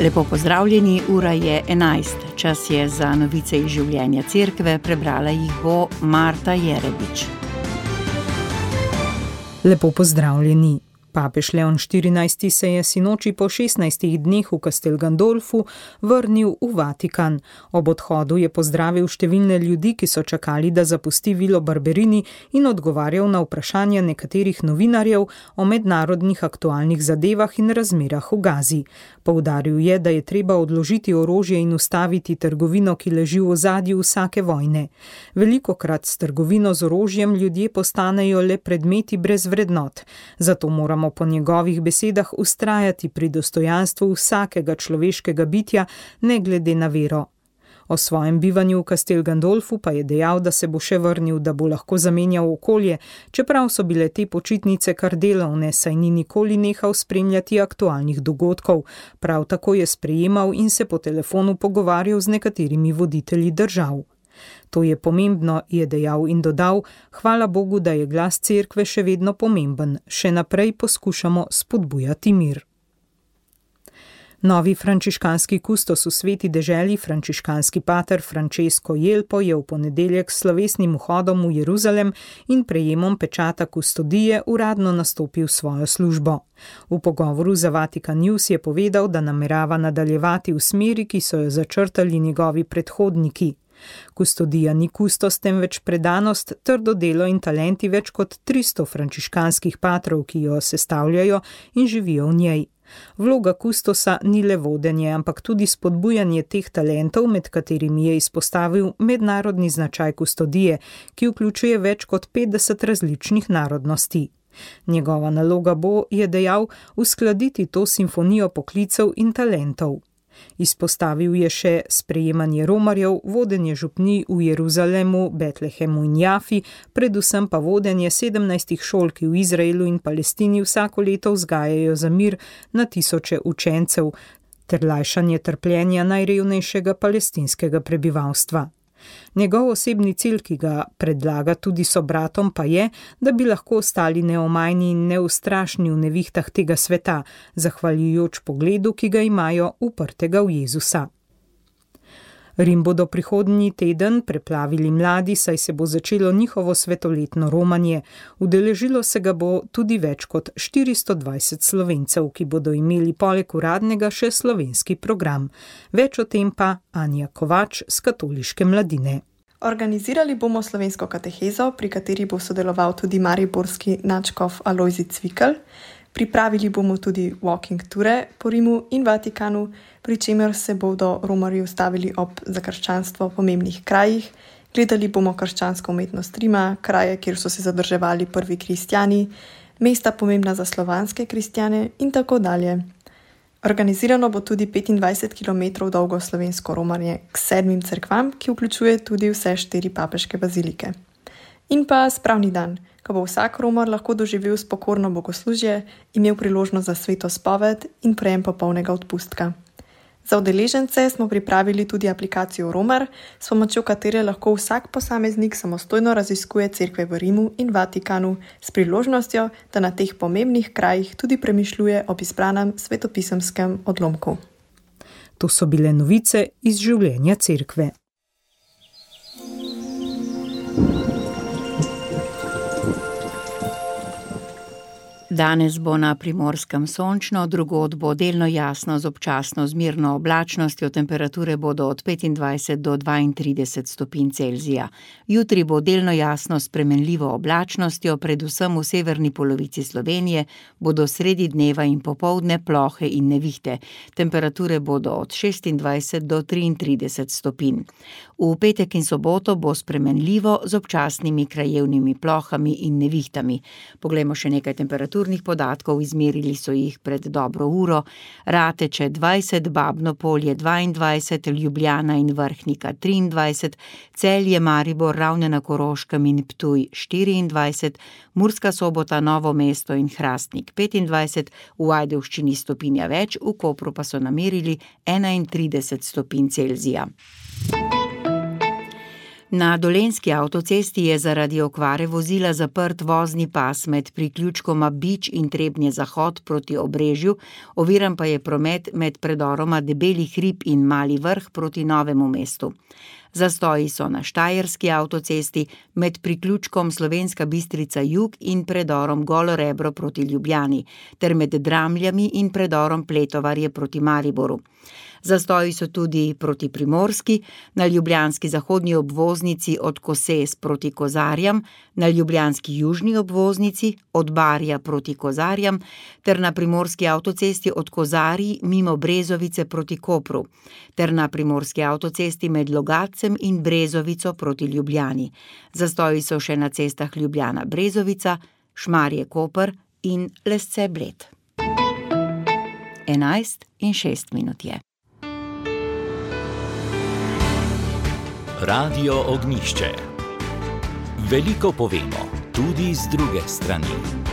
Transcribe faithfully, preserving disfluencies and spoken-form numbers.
Lepo pozdravljeni, ura je enajst. Čas je za novice iz življenja cerkve, prebrala jih bo Marta Jerebič. Lepo pozdravljeni. Papež Leon štirinajsti se je sinoči po šestnajstih dneh v Castel Gandolfu vrnil v Vatikan. Ob odhodu je pozdravil številne ljudi, ki so čakali, da zapusti Vilo Barberini, in odgovarjal na vprašanja nekaterih novinarjev o mednarodnih aktualnih zadevah in razmerah v Gazi. Poudaril je, da je treba odložiti orožje in ustaviti trgovino, ki leži v ozadju vsake vojne. Velikokrat s trgovino z orožjem ljudje postanejo le predmeti brez vrednot. Zato moramo po njegovih besedah vztrajati pri dostojanstvu vsakega človeškega bitja, ne glede na vero. O svojem bivanju v Castel Gandolfu pa je dejal, da se bo še vrnil, da bo lahko zamenjal okolje, čeprav so bile te počitnice kar delovne, saj ni nikoli nehal spremljati aktualnih dogodkov. Prav tako je sprejemal in se po telefonu pogovarjal z nekaterimi voditelji držav. To je pomembno, je dejal in dodal, hvala Bogu, da je glas cerkve še vedno pomemben. Še naprej poskušamo spodbujati mir. Novi frančiškanski kustos v Sveti deželi, frančiškanski pater Francesco Jelpo, je v ponedeljek s slovesnim vhodom v Jeruzalem in prejemom pečata kustodije uradno nastopil svojo službo. V pogovoru za Vatikan News je povedal, da namerava nadaljevati v smeri, ki so jo začrtali njegovi predhodniki. Kustodija ni kustos, temveč predanost, trdo delo in talenti več kot tristo frančiškanskih patrov, ki jo sestavljajo in živijo v njej. Vloga kustosa ni le vodenje, ampak tudi spodbujanje teh talentov, med katerimi je izpostavil mednarodni značaj kustodije, ki vključuje več kot petdeset različnih narodnosti. Njegova naloga bo, je dejal, uskladiti to simfonijo poklicev in talentov. Izpostavil je še sprejemanje romarjev, vodenje župnij v Jeruzalemu, Betlehemu in Jafi, predvsem pa vodenje sedemnajstih šol, ki v Izraelu in Palestini vsako leto vzgajajo za mir na tisoče učencev, ter lajšanje trpljenja najrevnejšega palestinskega prebivalstva. Njegov osebni cilj, ki ga predlaga tudi sobratom, pa je, da bi lahko ostali neomajni in neustrašni v nevihtah tega sveta, zahvaljujoč pogledu, ki ga imajo uprtega v Jezusa. Rim bodo prihodnji teden preplavili mladi, saj se bo začelo njihovo svetoletno romanje. Udeležilo se ga bo tudi več kot štiristo dvajset Slovencev, ki bodo imeli poleg uradnega še slovenski program. Več o tem pa Anja Kovač z Katoliške mladine. Organizirali bomo slovensko katehezo, pri kateri bo sodeloval tudi mariborski nadškof Alojzij Cvikl. Pripravili bomo tudi walking ture po Rimu in Vatikanu, pri čemer se bodo romarji ustavili ob za krščanstvo pomembnih krajih. Gledali bomo krščansko umetnost Rima, kraje, kjer so se zadrževali prvi kristjani, mesta pomembna za slovanske kristjane in tako dalje. Organizirano bo tudi petindvajset kilometrov dolgo slovensko romanje k sedmim cerkvam, ki vključuje tudi vse štiri papeške bazilike. In pa spravni dan, ko bo vsak romar lahko doživel spokorno bogoslužje, imel priložnost za sveto spoved in prejem popolnega odpustka. Za udeležence smo pripravili tudi aplikacijo Romar, s pomočjo katere lahko vsak posameznik samostojno raziskuje cerkve v Rimu in Vatikanu s priložnostjo, da na teh pomembnih krajih tudi premišljuje o izbranem svetopisemskem odlomku. To so bile novice iz življenja cerkve. Danes bo na Primorskem sončno, drugod bo delno jasno z občasno zmerno oblačnostjo, temperature bodo od petindvajset do dvaintrideset stopinj Celzija. Jutri bo delno jasno s spremenljivo oblačnostjo, predvsem v severni polovici Slovenije, bodo sredi dneva in popoldne plohe in nevihte. Temperature bodo od šestindvajset do triintrideset stopinj. V petek in soboto bo spremenljivo z občasnimi krajevnimi plohami in nevihtami. Poglejmo še nekaj temperatur. Podatkov izmerili so jih pred dobro uro. Rateče dvajset, Babno Polje dvaindvajset, Ljubljana in Vrhnika triindvajset, Celje, Maribor, Ravne na Koroškem in Ptuj štiriindvajset, Murska Sobota, Novo mesto in Hrastnik petindvajset, v Ajdovščini stopinja več, v Kopru pa so namerili enaintrideset stopinj Celzija. Na Dolenjski avtocesti je zaradi okvare vozila zaprt vozni pas med priključkoma Bič in Trebnje Zahod proti Obrežju, oviran pa je promet med predoroma Debeli hrib in Mali Vrh proti Novemu mestu. Zastoji so na Štajerski avtocesti med priključkom Slovenska Bistrica jug in predorom Golo Rebro proti Ljubljani, ter med Dramljami in predorom Pletovarje proti Mariboru. Zastoji so tudi proti Primorski, na ljubljanski zahodnji obvoznici od Koses proti Kozarjam, na ljubljanski južni obvoznici od Barja proti Kozarjam, ter na primorski avtocesti od Kozarij mimo Brezovice proti Kopru, ter na primorski avtocesti med Logatcem in Brezovico proti Ljubljani. Zastoji so še na cestah Ljubljana-Brezovica, Šmarje-Koper in Lesce-Bled. Enajst in šest minut je. Radio Ognjišče. Veliko povemo, tudi z druge strani.